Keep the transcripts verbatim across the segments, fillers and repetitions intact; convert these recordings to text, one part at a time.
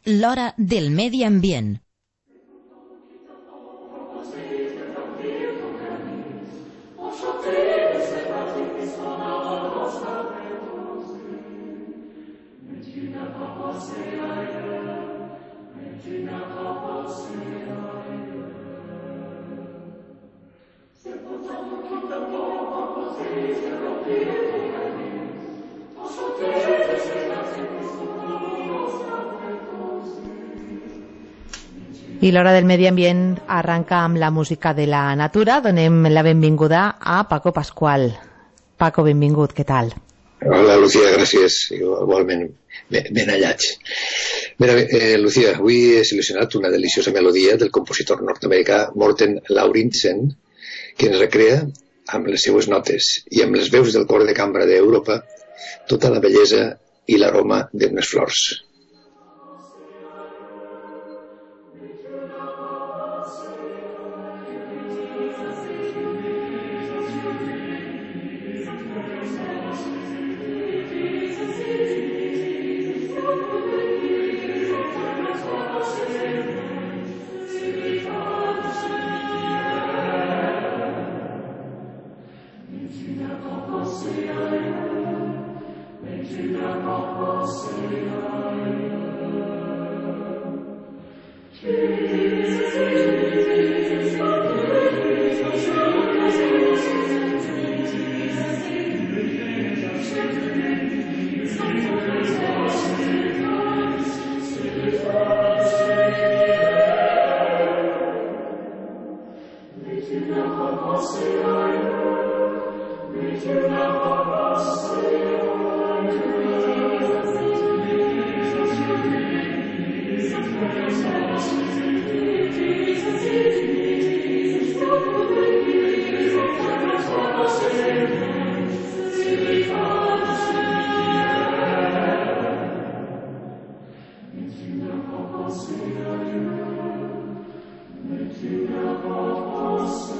l'hora del medi ambient. I l'hora del medi ambient arranca amb la música de la natura. Donem la benvinguda a Paco Pascual. Paco, benvingut, què tal? Hola, Lucía, gràcies. Igualment, ben, ben hallats. Mira, eh, Lucía, avui he seleccionat una deliciosa melodia del compositor nord-americà Morten Lauridsen, que ens recrea amb les seues notes i amb les veus del cor de cambra d'Europa tota la bellesa i l'aroma d'unes flors.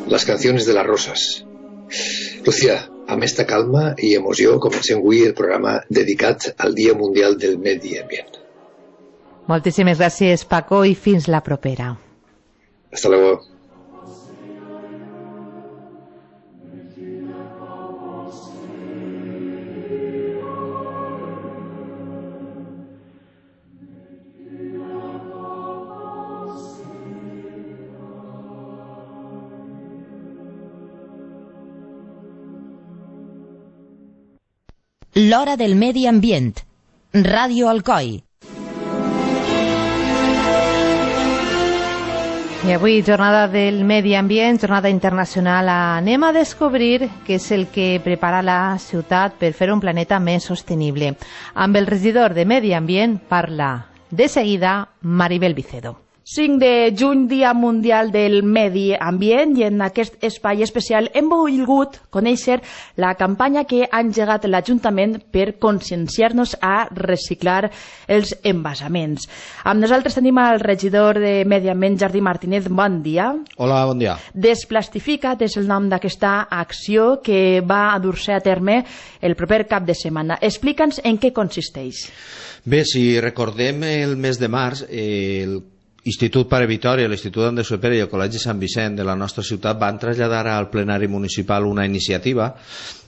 Las canciones de las rosas. Lucía, amb esta calma i emoció comencem avui el programa dedicat al Dia Mundial del Medi Ambient. Moltíssimes gràcies, Paco, i fins la propera. Hasta luego. L'hora del medi ambient. Ràdio Alcoi. I avui, jornada del medi ambient, jornada internacional, anem a descobrir què és el que prepara la ciutat per fer un planeta més sostenible. Amb el regidor de Medi Ambient parla de seguida Maribel Vicedo. cinc de juny, Dia Mundial del Medi Ambient, i en aquest espai especial hem volgut conèixer la campanya que ha engegat l'Ajuntament per conscienciar-nos a reciclar els envasaments. Amb nosaltres tenim el regidor de Medi Ambient, Jardí Martínez. Bon dia. Hola, bon dia. Desplastifica't és el nom d'aquesta acció que va a dur-se a terme el proper cap de setmana. Explica'ns en què consisteix. Bé, si recordem el mes de març, el Institut Pare Vitòria, l'Institut Andreu Sopera i el Col·legi Sant Vicent de la nostra ciutat van traslladar al plenari municipal una iniciativa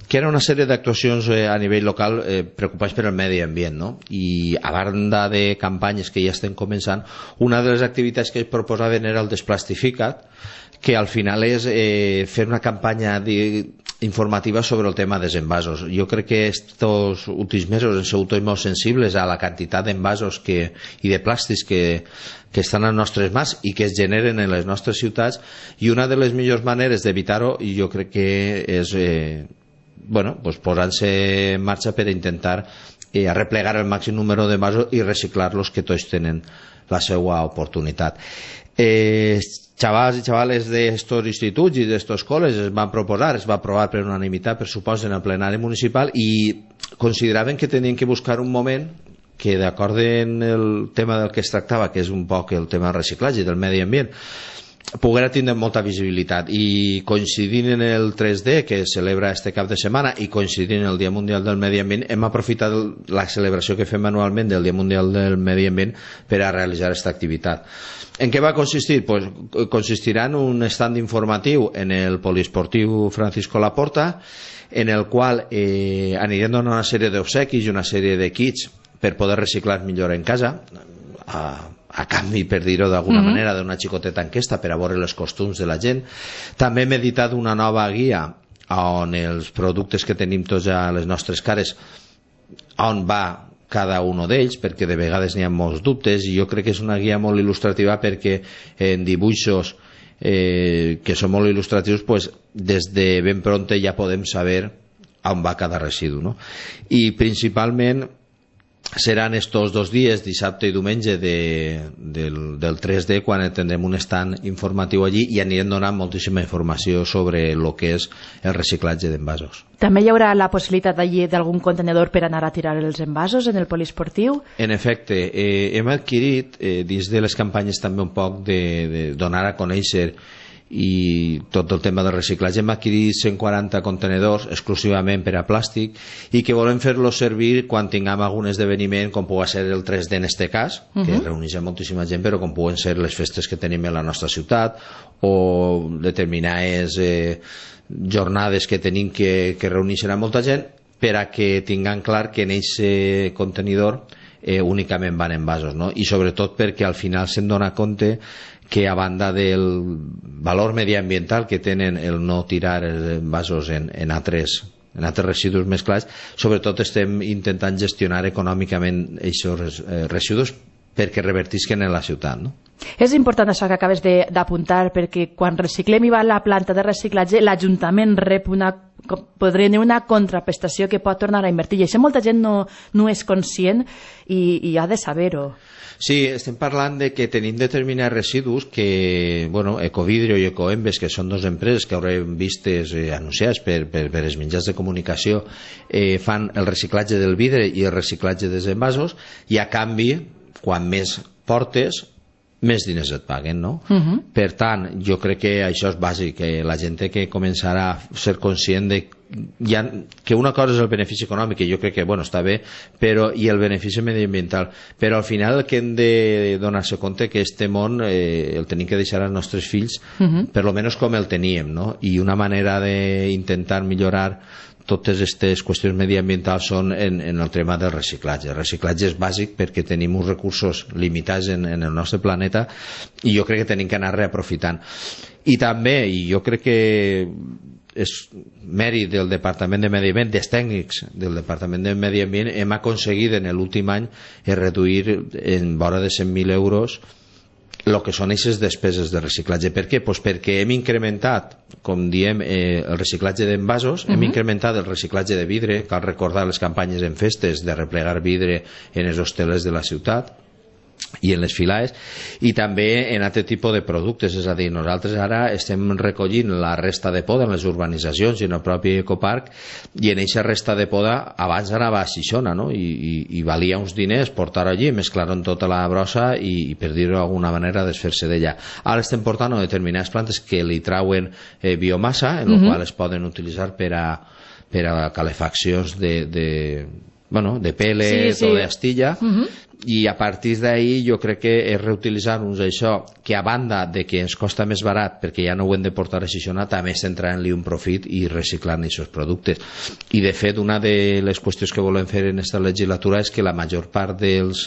que era una sèrie d'actuacions eh, a nivell local eh, preocupats per el medi ambient, no? I a banda de campanyes que ja estem començant, una de les activitats que es proposaven era el Desplastifica't, que al final és eh, fer una campanya de informativa sobre el tema dels envasos. Jo crec que estos últims mesos hem sigut molt sensibles a la quantitat d'envasos que, i de plàstics que, que estan a les nostres mans i que es generen en les nostres ciutats, i una de les millors maneres d'evitar-ho jo crec que és eh, bueno, pues posant-se en marxa per intentar eh, arreplegar el màxim número d'envasos i reciclar-los, que tots tenen la seva oportunitat. Eh, xavals i xavales d'estos instituts i d'estos col·les es van proposar, es va aprovar per unanimitat, per suposo, en el plenari municipal, i consideraven que tenien que buscar un moment que, d'acord amb el tema del que es tractava, que és un poc el tema del reciclatge i del medi ambient, poguera tindre molta visibilitat, i coincidint en el tres D que es celebra este cap de setmana i coincidint en el Dia Mundial del Medi Ambient, hem aprofitat la celebració que fem anualment del Dia Mundial del Medi Ambient per a realitzar aquesta activitat. En què va consistir? Pues consistirà en un stand informatiu en el poliesportiu Francisco Laporta, en el qual eh, anirem donant una sèrie d'obsequis i una sèrie de kits per poder reciclar millor en casa, a a canvi, per dir-ho d'alguna mm-hmm. manera, d'una xicoteta enquesta per a veure els costums de la gent. També hem editat una nova guia on els productes que tenim tots a les nostres cares, on va cada un d'ells, perquè de vegades n'hi ha molts dubtes, i jo crec que és una guia molt il·lustrativa perquè en dibuixos eh, que són molt il·lustratius, pues, des de ben pronte ja podem saber on va cada residu, no? I principalment seran estos dos dies, dissabte i diumenge de, del, del tres D, quan tindrem un stand informatiu allí i anirem donant moltíssima informació sobre el que és el reciclatge d'envasos. També hi haurà la possibilitat allí d'algun contenedor per anar a tirar els envasos en el poliesportiu? En efecte, eh, hem adquirit eh, dins de les campanyes també un poc de, de donar a conèixer i tot el tema del reciclatge. Hem adquirit cent quaranta contenedors exclusivament per a plàstic i que volem fer-los servir quan tinguem algun esdeveniment, com pugui ser el tres D en este cas, uh-huh. que reuneix moltíssima gent, però com puguen ser les festes que tenim en la nostra ciutat o determinades eh, jornades que tenim que, que reuneixen a molta gent, per a que tinguem clar que en aquest contenidor eh, únicament van envasos, no? I sobretot perquè al final se'n dona compte que a banda del valor mediambiental que tenen el no tirar els envasos en, en, altres, en altres residus mesclats, sobretot estem intentant gestionar econòmicament aquests eh, residus perquè revertisquen en la ciutat, no? És important això que acabes d'apuntar, perquè quan reciclem i va a la planta de reciclatge, l'Ajuntament rep una, podria tenir una contraprestació que pot tornar a invertir, i això molta gent no, no és conscient i, i ha de saber-ho. Sí, estem parlant de que tenim determinats residus que, bueno, Ecovidrio i Ecoembes, que són dues empreses que haurem vistes eh, anunciades per, per, per els mitjans de comunicació, eh, fan el reciclatge del vidre i el reciclatge dels envasos, i a canvi, quan més portes, més diners et paguen, no? Uh-huh. Per tant, jo crec que això és bàsic, que la gent té que començar a ser conscient de ja, que una cosa és el benefici econòmic, que jo crec que, bueno, està bé, però, i el benefici mediambiental, però al final el que hem de donar-se compte que este món eh, el tenim que deixar als nostres fills, uh-huh. per lo menos com el teníem, no? I una manera d'intentar millorar totes aquestes qüestions mediambientals són en, en el tema del reciclatge. El reciclatge és bàsic perquè tenim uns recursos limitats en, en el nostre planeta i jo crec que tenim que anar reaprofitant. I també, i jo crec que és mèrit del Departament de Medi Ambient, dels tècnics del Departament de Medi Ambient, hem aconseguit en l'últim any reduir en vora de cent mil euros el que són aquestes despeses de reciclatge. Per què? Pues perquè hem incrementat, com diem, eh, el reciclatge d'envasos, uh-huh. hem incrementat el reciclatge de vidre, cal recordar les campanyes en festes de replegar vidre en els hostelers de la ciutat i en les filaes, i també en altre tipus de productes. És a dir, nosaltres ara estem recollint la resta de poda en les urbanitzacions i en el propi ecoparc, i en aquesta resta de poda abans anava a Xixona, no? I, i, i valia uns diners portar-ho allí, mesclar-ho en tota la brossa i, i per dir-ho d'alguna manera, desfer-se d'ella. Ara estem portant a determinades plantes que li trauen eh, biomassa, en la uh-huh. qual es poden utilitzar per a, per a calefaccions de, de, bueno, de pèl·let sí, sí. o d'astilla, uh-huh. i a partir d'ahir jo crec que és reutilitzar-nos això, que a banda de que ens costa més barat perquè ja no ho hem de portar a Xixona, també estem traient-li un profit i reciclant aquests productes. I de fet, una de les qüestions que volem fer en aquesta legislatura és que la major part dels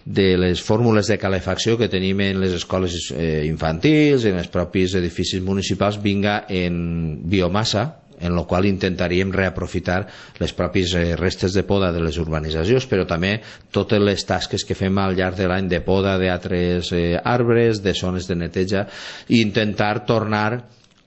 de les fórmules de calefacció que tenim en les escoles eh, infantils, en els propis edificis municipals, vinga en biomassa, en la qual intentaríem reaprofitar les pròpies restes de poda de les urbanitzacions, però també totes les tasques que fem al llarg de l'any de poda d'altres eh, arbres, de zones de neteja, i intentar tornar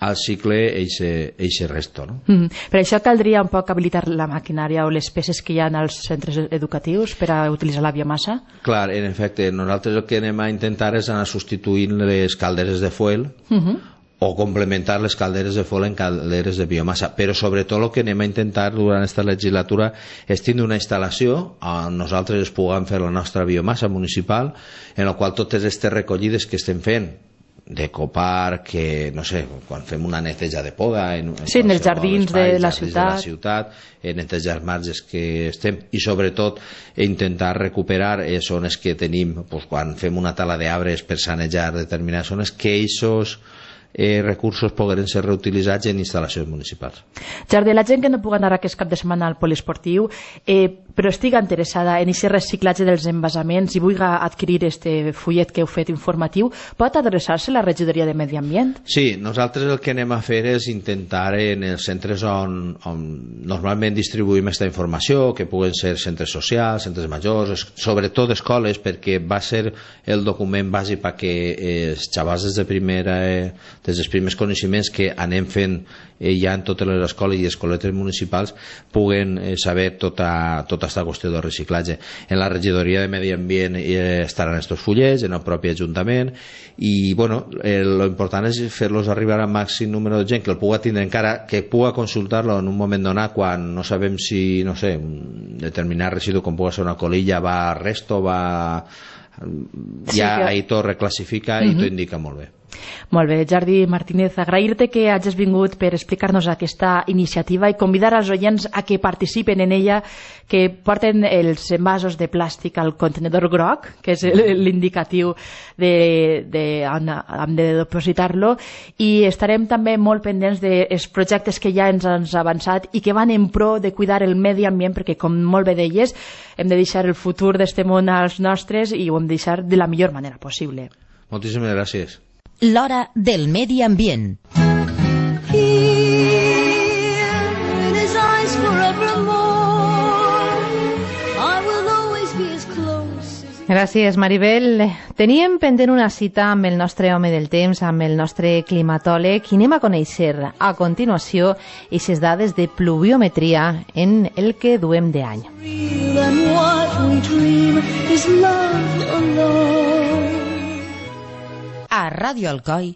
al cicle eixe resto, no? Mm. Per això caldria un poc habilitar la maquinària o les peces que hi ha als centres educatius per a utilitzar la biomassa? Clar, en efecte, nosaltres el que anem a intentar és anar substituint les calderes de fuel, uh-huh. o complementar les calderes de fuel en calderes de biomassa, però sobretot el que anem a intentar durant aquesta legislatura és tindre una instal·lació on nosaltres puguem fer la nostra biomassa municipal, en la qual totes aquestes recollides que estem fent d'ecoparc, que, no sé, quan fem una neteja de poda en, en, sí, en els jardins espais, de la jardins ciutat, de la ciutat en netejar els marges que estem, i sobretot intentar recuperar eh, zones que tenim, pues, quan fem una tala d'arbres per sanejar determinades zones, que aquests Eh, recursos pogueren ser reutilitzats en instal·lacions municipals. Jordi, la gent que no pugui anar aquest cap de setmana al poliesportiu, eh, però estiga interessada en aquest reciclatge dels envasaments i vulgui adquirir este fullet que heu fet informatiu, pot adreçar-se a la regidoria de Medi Ambient? Sí, nosaltres el que anem a fer és intentar en els centres on, on normalment distribuïm aquesta informació, que puguen ser centres socials, centres majors, sobretot escoles, perquè va ser el document bàsic perquè els xavals des de primera eh, des dels primers coneixements que anem fent eh, ja en totes les escoles i escoletes municipals puguen eh, saber tota, tota aquesta qüestió del reciclatge. En la regidoria de Medi Ambient eh, estaran estos fullets, en el propi Ajuntament, i bueno, eh, lo important és fer-los arribar al màxim número de gent que el puga tindre encara, que puga consultar-lo en un moment donat quan no sabem si, no sé, un determinat residu com pugui ser una colilla va a resto, va... ja sí, que... ahí tot reclassifica uh-huh. i tot indica molt bé. Molt bé, Jordi Martínez, agrair-te que hagis vingut per explicar-nos aquesta iniciativa i convidar als oients a que participen en ella, que porten els envasos de plàstic al contenedor groc, que és l'indicatiu de, de on hem de depositar-lo, i estarem també molt pendents dels projectes que ja ens han avançat i que van en pro de cuidar el medi ambient, perquè, com molt bé deies, hem de deixar el futur d'este món als nostres i ho hem de deixar de la millor manera possible. Moltíssimes gràcies. L'hora del medi ambient. Gràcies, Maribel. Teníem pendent una cita amb el nostre home del temps, amb el nostre climatòleg, i anem a conèixer a continuació aquestes dades de pluviometria en el que duem d'any. A Ràdio Alcoi,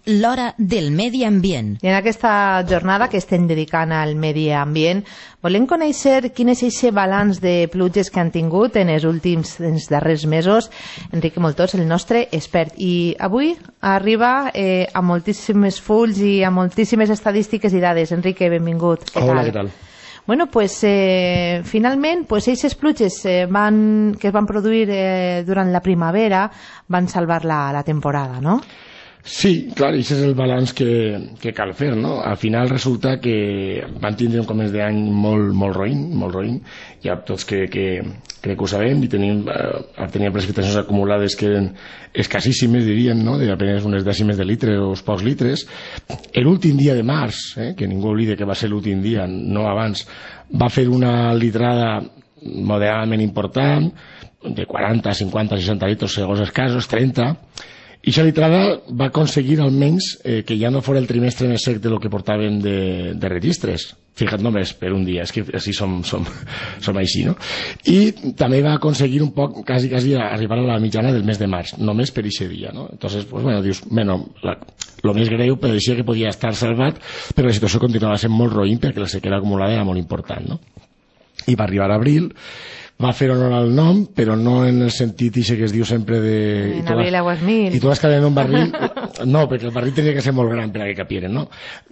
l'hora del medi ambient. I en aquesta jornada que estem dedicant al medi ambient, volem conèixer quin és aquest balanç de pluges que han tingut en els últims, en els darrers mesos. Enrique Moltós, el nostre expert. I avui arriba eh, a moltíssimes fulls i a moltíssimes estadístiques i dades. Enrique, benvingut. Què Hola, tal? què tal? Bueno, pues eh, finalment, pues aquestes pluges eh, van, que es van produir eh, durant la primavera van salvar la, la temporada, ¿no? Sí, clar, i aquest és el balanç que, que cal fer, no? Al final resulta que van tindre un començ d'any molt, molt roïn, molt roïn, ja tots que, que crec que ho sabem, i tenim, eh, teníem precipitacions acumulades que eren escassíssimes, diríem, no? De apenas unes dècimes de litre o pocs litres. L'últim dia de març, eh, que ningú oblide que va ser l'últim dia, no abans, va fer una litrada moderadament important, de quaranta, cinquanta, seixanta litres segons els casos, trenta, i aquesta litrada va aconseguir almenys eh, que ja no fos el trimestre més sec de lo que portàvem de, de registres. Fija't només per un dia, és que així som, som, som així, no? I també va aconseguir un poc, quasi, quasi arribar a la mitjana del mes de març, només per aquest dia, no? Entonces, pues bueno, dius, bueno, la, lo més greu pareixia que podia estar salvat, però la situació continuava sent molt roïn perquè la sequera acumulada era molt important, no? I va arribar a abril, va fer honor al nom, però no en el sentit ixe que es diu sempre de... En abril aguas mil. I totes caden en un barril... No, perquè el barril tenia que ser molt gran per a que capieren, no?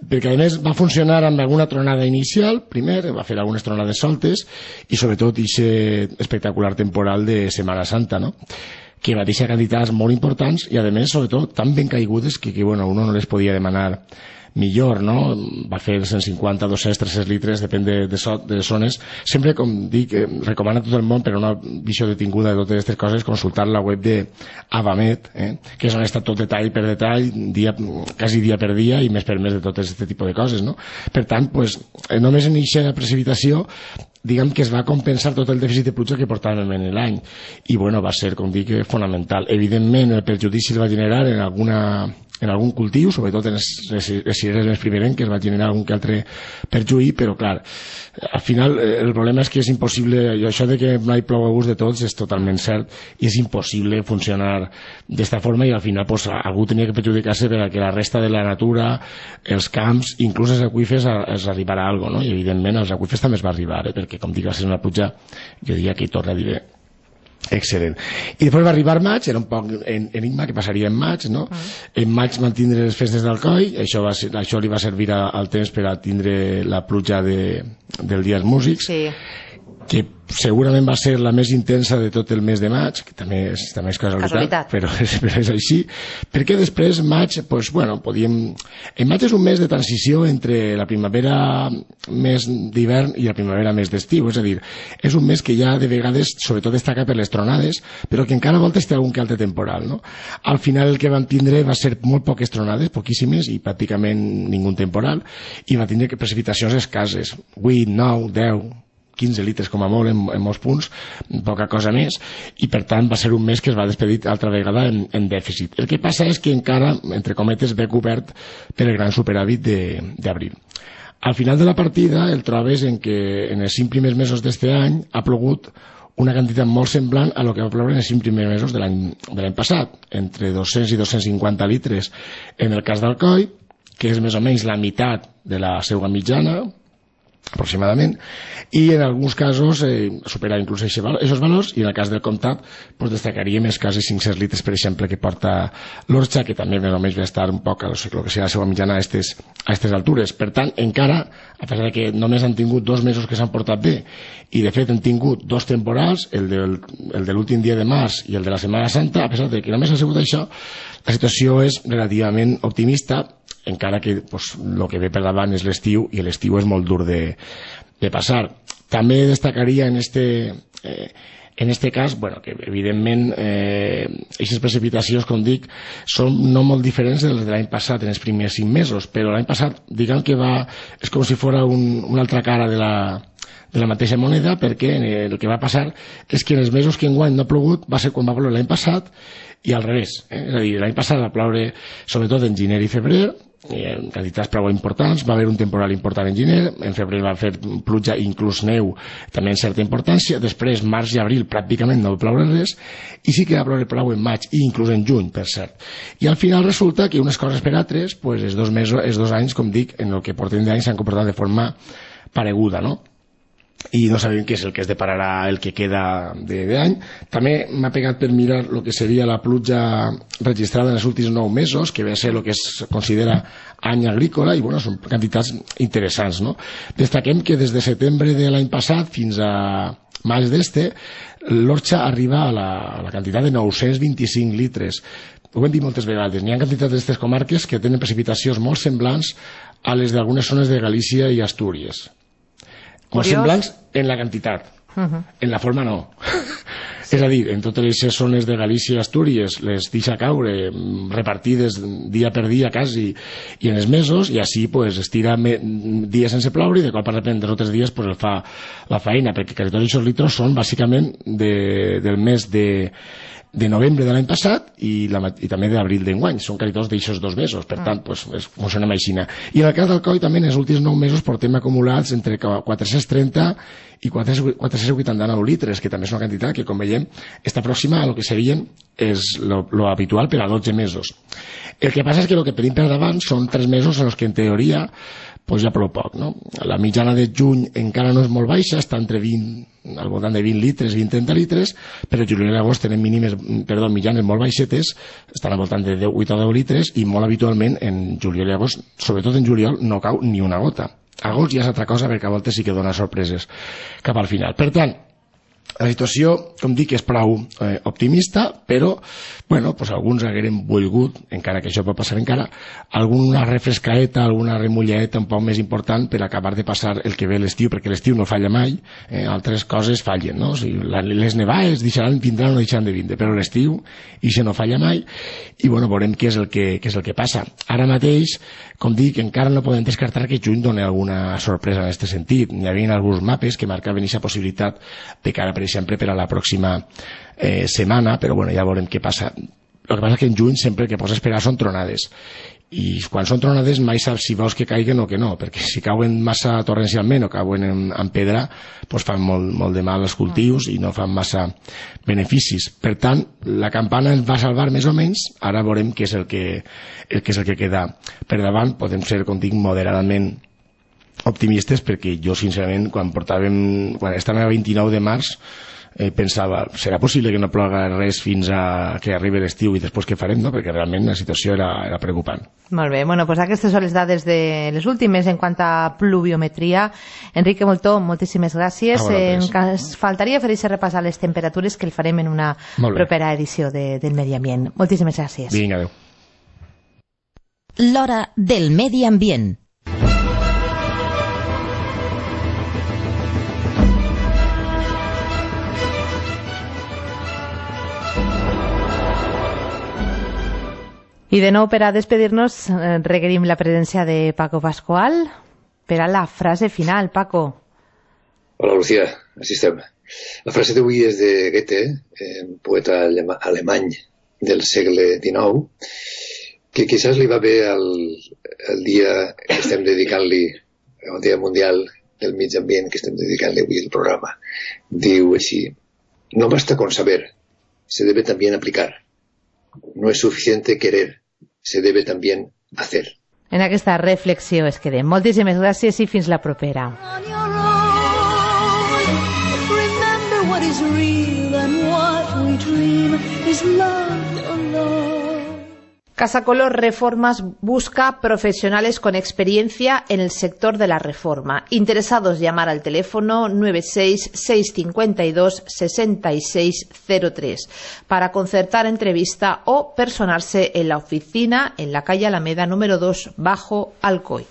Perquè, a més, va funcionar amb alguna tronada inicial, primer, va fer algunes tronades soltes, i sobretot ixe espectacular temporal de Setmana Santa, no? Que va deixar quantitats molt importants i, a més, sobretot, tan ben caigudes que, que bueno, uno no les podia demanar millor, no? Va fer cent cinquanta, dos-cents, tres-cents litres, depèn de, de, so, de zones. Sempre, com dic, eh, recomana a tot el món, per una visió detinguda de totes aquestes coses, consultar la web de Avamet, eh, que és on està tot detall per detall, dia, quasi dia per dia, i més per més de tot aquest tipus de coses, no? Per tant, pues, eh, només en aquesta precipitació, diguem que es va compensar tot el dèficit de pluja que portàvem en l'any. I, bueno, va ser, com dic, fonamental. Evidentment, el perjudici el va generar en alguna... en algun cultiu, sobretot en les, les, les cireres més primerenques va generar algun que altre perjuí, però clar, al final el problema és que és impossible, i això de que mai plou a gust de tots és totalment cert, i és impossible funcionar d'esta forma, i al final pues, algú tenia que perjudicar-se per a que la resta de la natura, els camps, inclús els aqüífers es arribarà a alguna cosa, no? I evidentment als aqüífers també es va arribar, eh? Perquè com dic va ser una pluja, jo diria que hi torna a dir excel·lent. I després va arribar maig, era un poc en, enigma que passaria en maig, no? Mm. En maig van tindre les festes d'Alcoi, això, va ser, això li va servir a, al temps per a tindre la pluja de, del Dia dels Músics, sí. que segurament va ser la més intensa de tot el mes de maig, que també és, també és casualitat, casualitat. Però, és, però és així, perquè després maig, pues, bueno, podíem... En maig és un mes de transició entre la primavera més d'hivern i la primavera més d'estiu, és a dir, és un mes que ja de vegades, sobretot destaca per les tronades, però que encara a voltes té algun que altre temporal, no? Al final el que van tindre va ser molt poques tronades, poquíssimes, i pràcticament ningú temporal, i va tindre precipitacions escasses, vuit, nou, deu, quinze litres com a molt en, en molts punts, poca cosa més, i per tant va ser un mes que es va despedir altra vegada en, en dèficit. El que passa és que encara, entre cometes, ve cobert per el gran superàvit d'abril. Al final de la partida el trobes en que en els cinc primers mesos d'este any ha plogut una quantitat molt semblant a lo que va ploure en els cinc primers mesos de l'any passat, entre dos-cents i dos-cents cinquanta litres en el cas d'Alcoi, que és més o menys la meitat de la seva mitjana, aproximadament, i en alguns casos eh, supera inclús aquests valors, i en el cas del Comtat pues, destacaríem els quasi cinc-cents litres, per exemple, que porta l'Orxa, que també més o menys va estar un poc a lo que sigui la seva mitjana a aquestes a aquestes altures. Per tant, encara, a pesar de que només han tingut dos mesos que s'han portat bé, i de fet han tingut dos temporals, el, del, el de l'últim dia de març i el de la Setmana Santa, a pesar de que només ha sigut això, la situació és relativament optimista, encara que pues, el que ve per davant és l'estiu, i l'estiu és molt dur de, de passar. També destacaria en este, eh, en este cas, bueno, que evidentment aquestes eh, precipitacions, com dic, són no molt diferents de les de l'any passat en els primers cinc mesos, però l'any passat, diguem que va, és com si fora un, una altra cara de la, de la mateixa moneda, perquè el que va passar és que en els mesos que enguany no ha plogut va ser quan va ploure l'any passat, i al revés, eh? És a dir, l'any passat va ploure sobretot en gener i febrer, en quantitats prou importants, va haver un temporal important en gener, en febrer va fer pluja i inclús neu també en certa importància, després març i abril pràcticament no va ploure res, i sí que va ploure prou en maig i inclús en juny, per cert. I al final resulta que unes coses per altres, pues, els dos mesos, els dos anys, com dic, en el que portem d'any s'han comportat de forma pareguda, no? I no sabem què és el que es depararà el que queda d'any. També m'ha pegat per mirar el que seria la pluja registrada en els últims nou mesos, que ve a ser el que es considera any agrícola, i bueno, són quantitats interessants, no? Destaquem que des de setembre de l'any passat fins a maig d'este, l'Orxa arriba a la, a la quantitat de nou-cents vint-i-cinc litres. Ho hem dit moltes vegades, n'hi ha quantitats d'aquestes comarques que tenen precipitacions molt semblants a les d'algunes zones de Galícia i Astúries. Molt semblants en la quantitat, uh-huh. En la forma no. Sí. És a dir, en totes les zones de Galícia i Astúries les deixa caure repartides dia per dia quasi, i en els mesos, i així pues, es tira dies sense ploure, i de cop de repente els altres dies pues, el fa la feina, perquè quasi tots aquests litros són bàsicament de, del mes de de novembre de l'any passat i, la, i també d'abril d'enguany, són quasi tots d'aixòs dos mesos, per tant, pues, es, funciona així. I en el cas d'Alcoi també en els últims nou mesos portem acumulats entre quatre-cents trenta i quatre-cents vuitanta-nou litres, que també és una quantitat que, com veiem, està pròxima a lo que serien és lo, lo habitual per a dotze mesos. El que passa és que el que tenim per davant són tres mesos en els que en teoria pues ja prou poc, no? La mitjana de juny encara no és molt baixa, està entre vint, al voltant de vint litres, vint a trenta litres, però juliol i agost tenen mínimes, perdó, mitjanes molt baixetes, estan al voltant de deu, vuit o deu litres, i molt habitualment en juliol i agost, sobretot en juliol, no cau ni una gota. Agost ja és altra cosa, perquè a voltes sí que dona sorpreses cap al final. Per tant, la situació, com dic, és prou eh, optimista, però, bueno, pues alguns hagueren volgut, encara que això pot passar encara, alguna refrescaeta, alguna remullaeta un poc més important per acabar de passar el que ve l'estiu, perquè l'estiu no falla mai, eh, altres coses fallen, no? O sigui, les nevades deixaran, vindran o no deixaran de vindre, però l'estiu, i això no falla mai, i, bueno, veurem què és el que, què és el que passa. Ara mateix, com dic, encara no podem descartar que juny doni alguna sorpresa en aquest sentit. Hi havia alguns mapes que marcaven aquesta possibilitat de cara, per exemple, per a la pròxima eh, setmana, però bueno, ja veurem què passa. El que passa és que en juny sempre el que pots esperar són tronades, i quan són tronades mai saps si vols que caiguen o que no, perquè si cauen massa torrencialment o cauen en, en pedra, doncs fan molt, molt de mal als cultius i no fan massa beneficis. Per tant, la campana ens va salvar més o menys, ara veurem què és el que, el que, és el que queda per davant. Podem ser, com dic, moderadament optimistes, perquè jo sincerament quan portàvem, quan estàvem a vint-i-nou de març eh, pensava, serà possible que no ploga res fins a que arribi l'estiu i després què farem, no? Perquè realment la situació era, era preocupant. Molt bé, bueno, pues aquestes són les dades de les últimes en quant a pluviometria. Enrique Moltó, moltíssimes gràcies. Ah, bueno, en cas, faltaria fer aquest repàs a les temperatures que el farem en una propera edició de, del Medi Ambient. Moltíssimes gràcies. Vinga, adéu. L'hora del medi ambient. I de nou, per a despedir-nos, eh, requerim la presència de Paco Pascual per a la frase final. Paco. Hola, Lucía, així estem. La frase d'avui és de Goethe, eh, poeta alemany del segle dinou, que quizás li va bé el, el dia que estem dedicant-li, el Dia Mundial del Mig Ambient, que estem dedicant-li avui el programa. Diu així: no basta con saber, se debe también aplicar. No es suficiente querer, se debe también hacer. En aquesta reflexió es quedem. Moltíssimes gràcies i fins la propera. Casa Color Reformas busca profesionales con experiencia en el sector de la reforma. Interesados, llamar al teléfono nueve seis seis cinco dos seis seis cero tres para concertar entrevista o personarse en la oficina en la calle Alameda número dos, bajo Alcoy.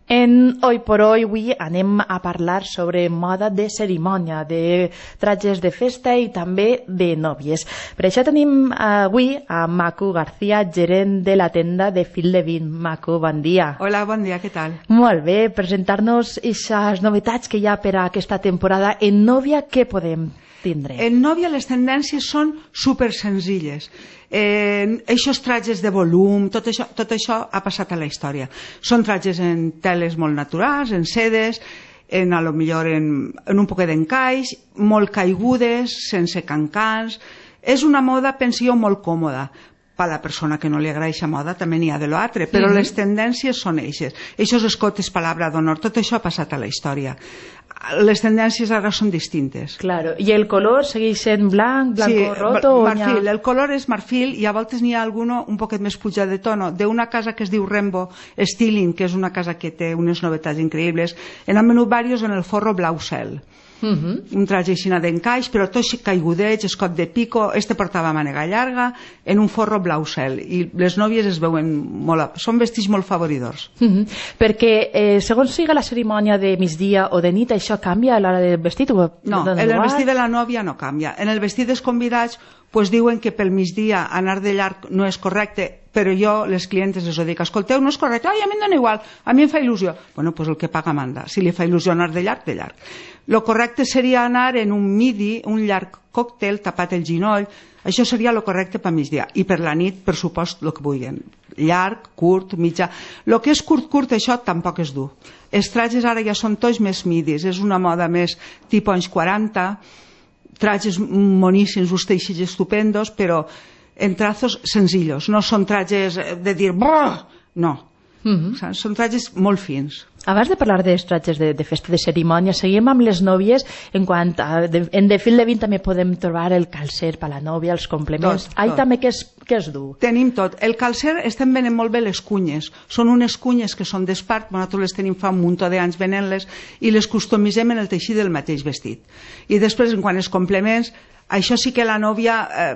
En Hoy por Hoy avui anem a parlar sobre moda de cerimònia, de trajes de festa i també de nòvies. Per això tenim avui a Macu García, gerent de la tenda de Fil de Vint. Macu, bon dia. Hola, bon dia, què tal? Molt bé, presentar-nos aquestes novetats que hi ha per a aquesta temporada. En nòvia, què podem tindre? En nòvia les tendències són super senzilles. Eh, eixos trajes de volum, tot això, tot això ha passat a la història. Són trajes en teles molt naturals, en sedes, en, a lo millor en, en un poquet d'encaix, molt caigudes, sense cancans. És una moda, penso jo, molt còmoda. Per a la persona que no li agrada aquesta moda també n'hi ha de l'altre, però mm-hmm. les tendències són eixes. Eixos escotes, palabra d'honor, tot això ha passat a la història. Les tendències ara són distintes. Claro. I el color segueix sent blanc, blanco sí, roto? Marfil. El color és marfil i a voltes n'hi ha alguno un poquet més pujat de tono. D'una casa que es diu Rembo Styling, que és una casa que té unes novetats increïbles, en han venut diversos en el forro blau cel. Uh-huh. Un traje així d'encaix, però tot caigudeig, escot de pico. Este portava mànega llarga en un forro blau cel i les nòvies es veuen molt, són vestits molt favoridors. Uh-huh. Perquè eh, segons siga la cerimònia de migdia o de nit, això canvia a l'hora del vestit? O no, en el vestit de la nòvia no canvia. En el vestit dels convidats pues diuen que pel migdia anar de llarg no és correcte, però jo, les clientes, les ho dic: escolteu, no és correcte. Ai, a mi em dona igual, a mi em fa il·lusió. Bueno, pues el que paga manda. Si li fa il·lusió anar de llarg, de llarg. Lo correcte seria anar en un midi, un llarg còctel, tapat el ginoll. Això seria lo correcte per migdia. I per la nit, per supost, el que vulguin. Llarg, curt, mitjà. Lo que és curt, curt, això tampoc és dur. Els trajes ara ja són tots més midis. És una moda més tipus anys quaranta, trajes moníssims, uns teixits estupendos, però en trazos senzillos. No són trajes de dir brrr, no. Mm-hmm. Són trajes molt fins. Abans de parlar dels trajes de, de festa de cerimònia, seguim amb les nòvies. En quant a de, en de Fil de Vint també podem trobar el calcer per a la nòvia, els complements. Tot, Ai, tot. també què és, què és dur? Tenim tot. El calcer estem venent molt bé les cunyes. Són unes cunyes que són d'espart, nosaltres les tenim fa un munt d'anys venent-les i les customitzem en el teixit del mateix vestit. I després, en quant als complements, això sí que la nòvia eh,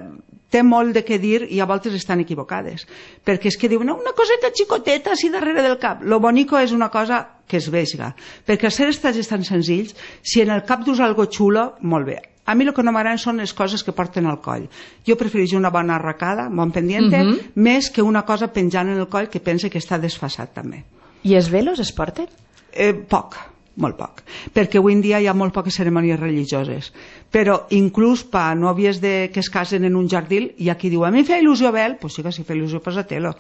té molt de què dir i a voltes estan equivocades. Perquè és que diuen una coseta xicoteta així darrere del cap. Lo bonico és una cosa que es veiga. Perquè als ser els trajes tan senzills, si en el cap dus algo xulo, molt bé. A mi el que no m'agraden són les coses que porten al coll. Jo prefereixo una bona arracada, bon pendiente, uh-huh. més que una cosa penjant en el coll que pense que està desfasat també. I els velos es porten? Eh, poc. Molt poc, perquè avui en dia hi ha molt poques cerimònies religioses, però inclús per a nòvies de, que es casen en un jardí, hi ha qui diu: a mi fa il·lusió vel, doncs sí que si fa il·lusió posa-te-lo,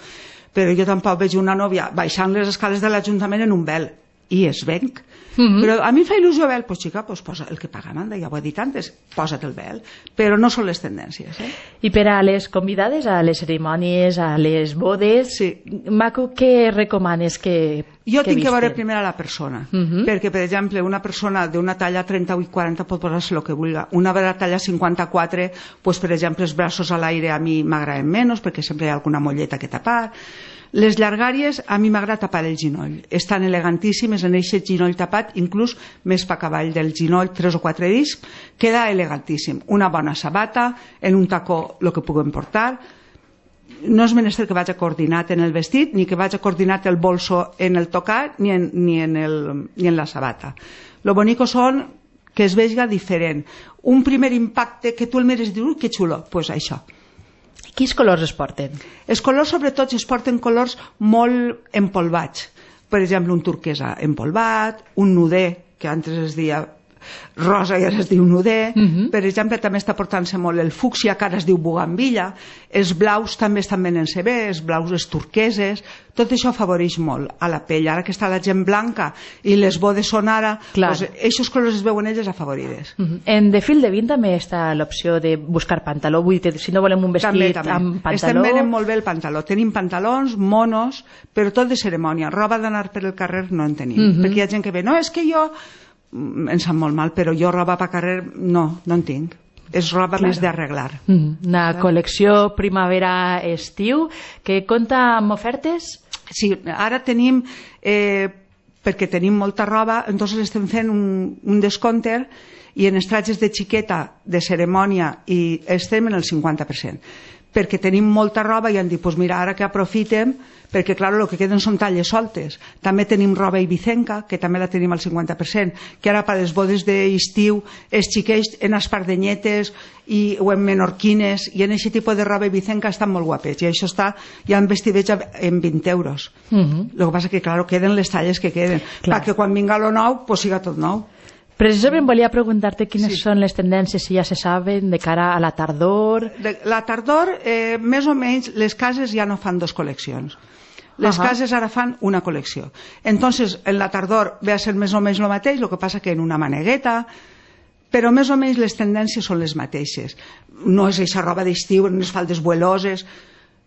però jo tampoc veig una nòvia baixant les escales de l'Ajuntament en un vel. i es venc. Mm-hmm. Però a mi em fa il·lusió vel, pues xica, pues posa el que paga manda, ja ho he dit antes, posa't el vel, però no són les tendències. Eh? I per a les convidades, a les cerimònies, a les bodes, sí. Maco, què recomanes que Jo que tinc visten? que veure primer a la persona, uh-huh. perquè, per exemple, una persona d'una talla trenta-vuit quaranta pot posar-se el que vulgui. Una de la talla cinquanta-quatre, pues, per exemple, els braços a l'aire a mi m'agraden menys, perquè sempre hi ha alguna molleta que tapar. Les llargàries, a mi m'agrada tapar el ginoll. Estan elegantíssimes en aquest ginoll tapat, inclús més pa cavall del ginoll, tres o quatre discs, queda elegantíssim. Una bona sabata, en un tacó el que puguem portar. No és menester que vagi coordinat en el vestit, ni que vagi coordinat el bolso en el tocat, ni en, ni en, el, ni en la sabata. Lo bonico són que es vegi diferent. Un primer impacte que tu el mires i dius, que xulo, doncs pues això. Quins colors es porten? Els colors, sobretot, es porten colors molt empolvats. Per exemple, un turquesa empolvat, un nuder, que antes es deia rosa i ara es diu nuder. Uh-huh. Per exemple, també està portant-se molt el fúcsia, que ara es diu bugambilla. Els blaus també estan venent-se bé, els blaus, els turqueses. Tot això afavoreix molt a la pell. Ara que està la gent blanca i les bodes són ara, doncs, aquests colors es veuen elles afavorides. Uh-huh. En de fil de vint també està l'opció de buscar pantaló. Vull dir, si no volem un vestit també, també. amb pantaló... Estem venent molt bé el pantaló. Tenim pantalons, monos, però tot de cerimònia. Roba d'anar per el carrer no en tenim. Uh-huh. Perquè hi ha gent que ve, no, és que jo... em sap molt mal, però jo roba per carrer no, no en tinc. És roba claro. Més d'arreglar. Mm, una claro. Col·lecció primavera-estiu que compta amb ofertes? Sí, ara tenim, eh, perquè tenim molta roba, entonces estem fent un, un descompte i en els trajes de xiqueta, de cerimònia, i estem en el cinquanta per cent. Perquè tenim molta roba i han dit, pues mira, ara que aprofitem, perquè clar, el que queden són talles soltes. També tenim roba ibicenca, que també la tenim al cinquanta per cent, que ara per les bodes d'estiu els xiquets en espardenyetes i, o en menorquines, i en aquest tipus de roba ibicenca estan molt guapets, i això està ja en vestidets en vint euros. Uh-huh. El que passa que, clar, queden les talles que queden, perquè quan vinga lo nou, pues siga tot nou. Precisament volia preguntar-te quines sí. són les tendències, si ja se saben, de cara a la tardor. De, la tardor, eh, més o menys, les cases ja no fan dos col·leccions. Les uh-huh. cases ara fan una col·lecció. Entonces, en la tardor ve a ser més o menys el mateix, el que passa que en una manegueta, però més o menys les tendències són les mateixes. No és aquesta roba d'estiu, unes faldes vueloses,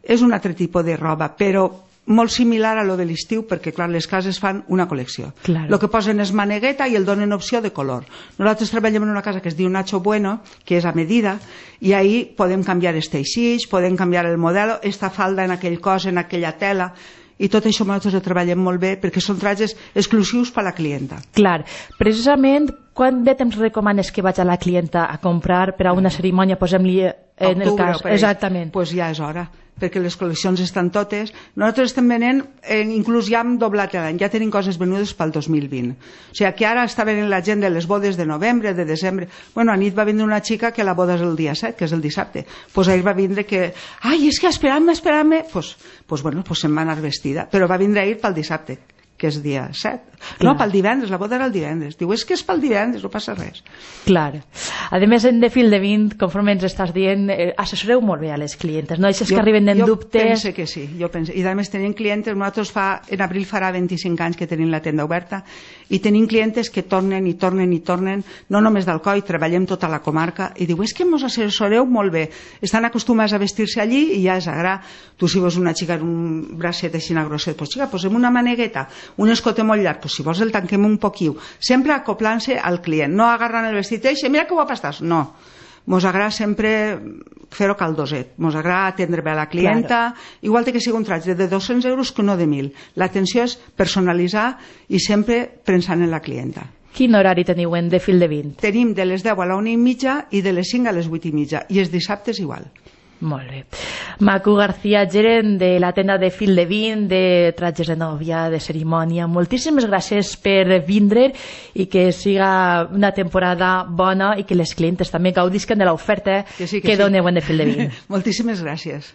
és un altre tipus de roba, però molt similar a lo de l'estiu, perquè clar, les cases fan una col·lecció. Claro. Lo que posen és manegueta i el donen opció de color. Nosaltres treballem en una casa que es diu Nacho Bueno, que és a medida, i ahí podem canviar els teixits, podem canviar el model, esta falda en aquell cos, en aquella tela, i tot això nosaltres ho treballem molt bé perquè són trajes exclusius per a la clienta. Clar, precisament quant de temps recomanes que vaig a la clienta a comprar per a una cerimònia, posem-li en el cas? Exactament. Doncs pues ja és hora, perquè les col·leccions estan totes. Nosaltres estem venent, eh, inclús ja hem doblat l'any, ja tenim coses venudes pel dos mil vint. O sigui que ara està venint la gent de les bodes de novembre, de desembre. Bueno, a nit va vindre una xica que la boda és el dia set, que és el dissabte. Doncs pues ahir va vindre que, ai, és que esperant-me, esperant-me, doncs pues, pues bueno, pues se'n va anar vestida, però va vindre ahir pel dissabte, que és dia set. Clar. No, pel divendres, la boda era el divendres. Diu, és que és pel divendres, no passa res. Clar. A més, en de fil de vint, conforme ens estàs dient, eh, assessoreu molt bé a les clientes, no? Això és que arriben en jo dubtes... Jo pense que sí, jo pense. I a més tenim clientes, nosaltres fa, en abril farà vint-i-cinc anys que tenim la tenda oberta, i tenim clientes que tornen i tornen i tornen, no només d'Alcoi, treballem tota la comarca, i diu, és que mos assessoreu molt bé. Estan acostumats a vestir-se allí i ja és agrà. Tu si vols una xica en un bracet així grosset, pues xica, posem una manegueta, un escote molt llarg, pues si vols el tanquem un poquiu, sempre acoplant-se al client, no agarrant el vestit i mira que guapa estàs, no, mos agrada sempre fer-ho caldoset, mos agrada atendre bé a la clienta, claro. Igual que sigui un traje de dos-cents euros que no de mil, l'atenció és personalitzar i sempre pensant en la clienta. Quin horari teniu en de fil de vint? Tenim de les deu a la una i mitja i de les cinc a les vuit i mitja, i els dissabtes igual. Molt bé. Macu García, gerent de la tenda de fil de vint, de trajes de nòvia, de cerimònia, moltíssimes gràcies per vindre i que siga una temporada bona i que les clientes també gaudisquen de l'oferta que, sí, que, que sí. doneu en de fil de vint. Moltíssimes gràcies.